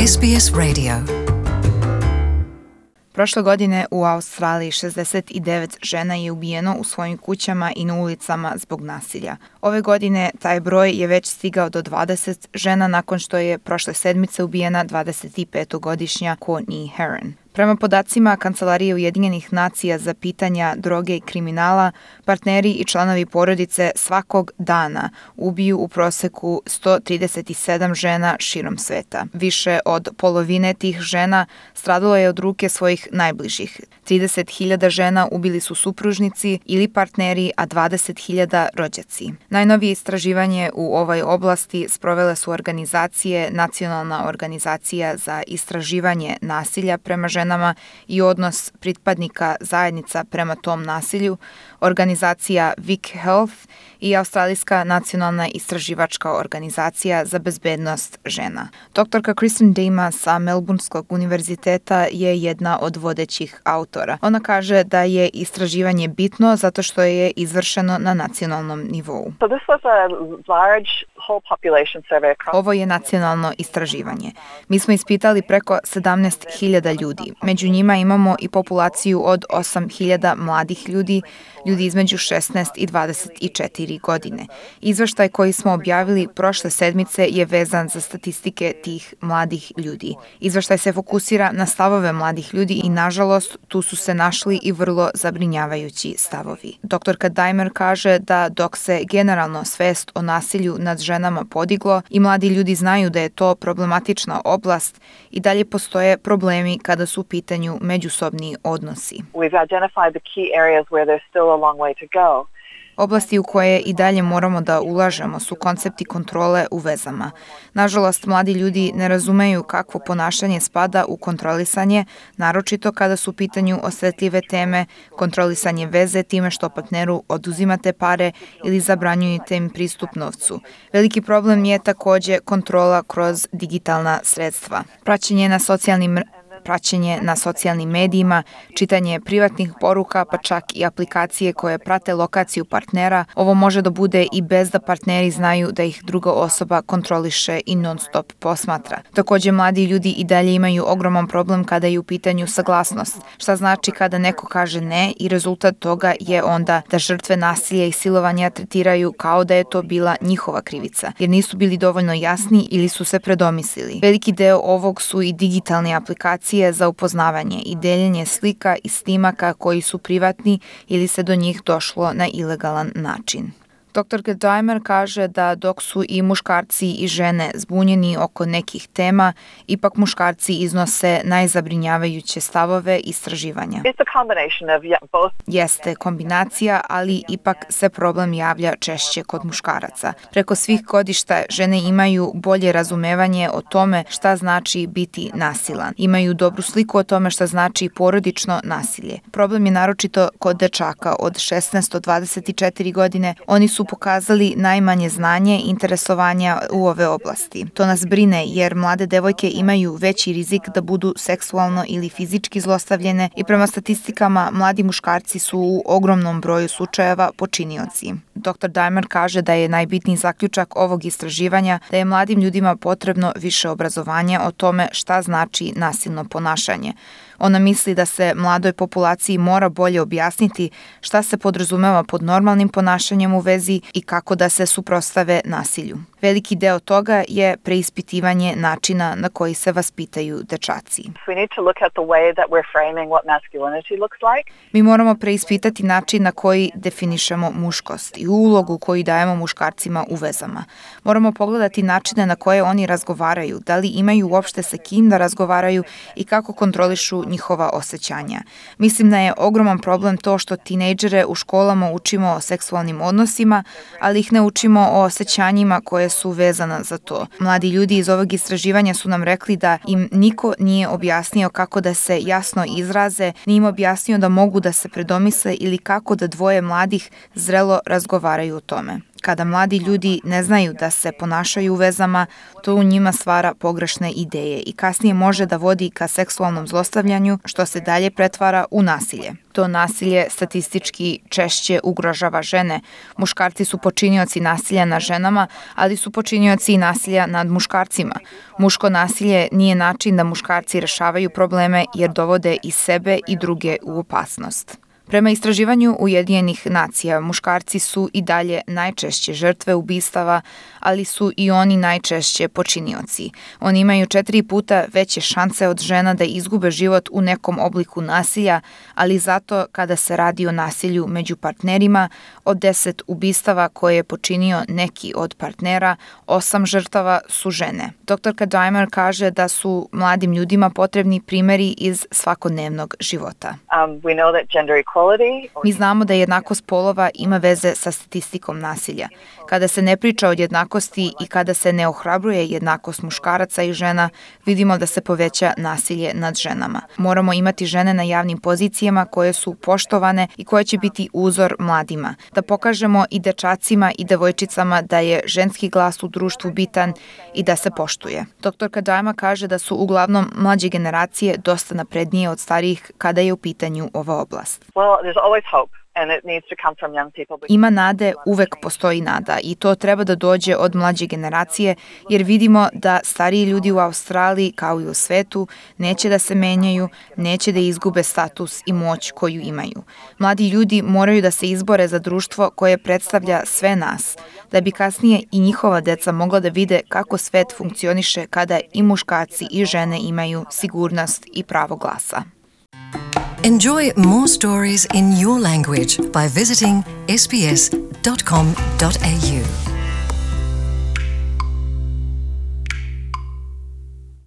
SBS Radio. Prošle godine u Australiji 69 žena je ubijeno u svojim kućama i na ulicama zbog nasilja. Ove godine taj broj je već stigao do 20 žena nakon što je prošle sedmice ubijena 25-godišnja Courtney Heron. Prema podacima Kancelarije Ujedinjenih nacija za pitanja droge i kriminala, partneri i članovi porodice svakog dana ubiju u proseku 137 žena širom sveta. Više od polovine tih žena stradalo je od ruke svojih najbližih. 30.000 žena ubili su supružnici ili partneri, a 20.000 rođaci. Najnovije istraživanje u ovoj oblasti sprovele su organizacije Nacionalna organizacija za istraživanje nasilja prema ženama i odnos pripadnika zajednica prema tom nasilju, organizacija Vic Health i Australijska nacionalna istraživačka organizacija za bezbednost žena. Doktorka Kristen Dima sa Melbourneskog univerziteta je jedna od vodećih autora. Ona kaže da je istraživanje bitno zato što je izvršeno na nacionalnom nivou. Ovo je nacionalno istraživanje. Mi smo ispitali preko 17.000 ljudi. Među njima imamo i populaciju od 8.000 mladih ljudi, ljudi između 16 i 24 godine. Izveštaj koji smo objavili prošle sedmice je vezan za statistike tih mladih ljudi. Izveštaj se fokusira na stavove mladih ljudi i, nažalost, tu su se našli i vrlo zabrinjavajući stavovi. Doktorka Dimer kaže da dok se generalno svest o nasilju nad ženama podiglo i mladi ljudi znaju da je to problematična oblast, i dalje postoje problemi kada su u pitanju međusobni odnosi. Oblasti u koje i dalje moramo da ulažemo su koncepti kontrole u vezama. Nažalost, mladi ljudi ne razumeju kakvo ponašanje spada u kontrolisanje, naročito kada su u pitanju osetljive teme, kontrolisanje veze time što partneru oduzimate pare ili zabranjujete im pristup novcu. Veliki problem je takođe kontrola kroz digitalna sredstva. Praćenje na socijalnim medijima, čitanje privatnih poruka, pa čak i aplikacije koje prate lokaciju partnera. Ovo može da bude i bez da partneri znaju da ih druga osoba kontroliše i non-stop posmatra. Takođe, mladi ljudi i dalje imaju ogroman problem kada je u pitanju saglasnost. Šta znači kada neko kaže ne i rezultat toga je onda da žrtve nasilja i silovanja tretiraju kao da je to bila njihova krivica, jer nisu bili dovoljno jasni ili su se predomislili. Veliki deo ovog su i digitalne aplikacije za upoznavanje i deljenje slika i snimaka koji su privatni ili se do njih došlo na ilegalan način. Doktorka Dimer kaže da dok su i muškarci i žene zbunjeni oko nekih tema, ipak muškarci iznose najzabrinjavajuće stavove istraživanja. Jeste kombinacija, ali ipak se problem javlja češće kod muškaraca. Preko svih godišta žene imaju bolje razumevanje o tome šta znači biti nasilan. Imaju dobru sliku o tome šta znači porodično nasilje. Problem je naročito kod dečaka od 16 do 24 godine. Oni su pokazali najmanje znanje i interesovanja u ove oblasti. To nas brine jer mlade devojke imaju veći rizik da budu seksualno ili fizički zlostavljene i prema statistikama mladi muškarci su u ogromnom broju slučajeva počinioci. Dr. Dimer kaže da je najbitniji zaključak ovog istraživanja da je mladim ljudima potrebno više obrazovanja o tome šta znači nasilno ponašanje. Ona misli da se mladoj populaciji mora bolje objasniti šta se podrazumeva pod normalnim ponašanjem u vezi i kako da se suprotstave nasilju. Veliki deo toga je preispitivanje načina na koji se vaspitaju dečaci. Mi moramo preispitati način na koji definišemo muškost i ulogu koju dajemo muškarcima u vezama. Moramo pogledati načine na koje oni razgovaraju, da li imaju uopšte sa kim da razgovaraju i kako kontrolišu njihova osjećanja. Mislim da je ogroman problem to što tinejdžere u školama učimo o seksualnim odnosima, ali ih ne učimo o osjećanjima koje su vezana za to. Mladi ljudi iz ovog istraživanja su nam rekli da im niko nije objasnio kako da se jasno izraze, nije im objasnio da mogu da se predomisle ili kako da dvoje mladih zrelo razgovaraju o tome. Kada mladi ljudi ne znaju da se ponašaju u vezama, to u njima stvara pogrešne ideje i kasnije može da vodi ka seksualnom zlostavljanju, što se dalje pretvara u nasilje. To nasilje statistički češće ugrožava žene. Muškarci su počinioci nasilja nad ženama, ali su počinioci i nasilja nad muškarcima. Muško nasilje nije način da muškarci rešavaju probleme jer dovode i sebe i druge u opasnost. Prema istraživanju Ujedinjenih nacija, muškarci su i dalje najčešće žrtve ubistava, ali su i oni najčešće počinioci. Oni imaju 4 puta veće šanse od žena da izgube život u nekom obliku nasilja, ali zato kada se radi o nasilju među partnerima, od 10 ubistava koje je počinio neki od partnera, 8 žrtava su žene. Doktorka Dimer kaže da su mladim ljudima potrebni primeri iz svakodnevnog života. Mi znamo da jednakost polova ima veze sa statistikom nasilja. Kada se ne priča o jednakosti i kada se ne ohrabruje jednakost muškaraca i žena, vidimo da se poveća nasilje nad ženama. Moramo imati žene na javnim pozicijama koje su poštovane i koje će biti uzor mladima. Da pokažemo i dečacima i devojčicama da je ženski glas u društvu bitan i da se poštuje. Doktorka Dajma kaže da su uglavnom mlađe generacije dosta naprednije od starijih kada je u pitanju ova oblast. Ima nade, uvek postoji nada i to treba da dođe od mlađe generacije jer vidimo da stariji ljudi u Australiji kao i u svetu neće da se menjaju, neće da izgube status i moć koju imaju. Mladi ljudi moraju da se izbore za društvo koje predstavlja sve nas, da bi kasnije i njihova deca mogla da vide kako svet funkcioniše kada i muškarci i žene imaju sigurnost i pravo glasa. Enjoy more stories in your language by visiting sbs.com.au.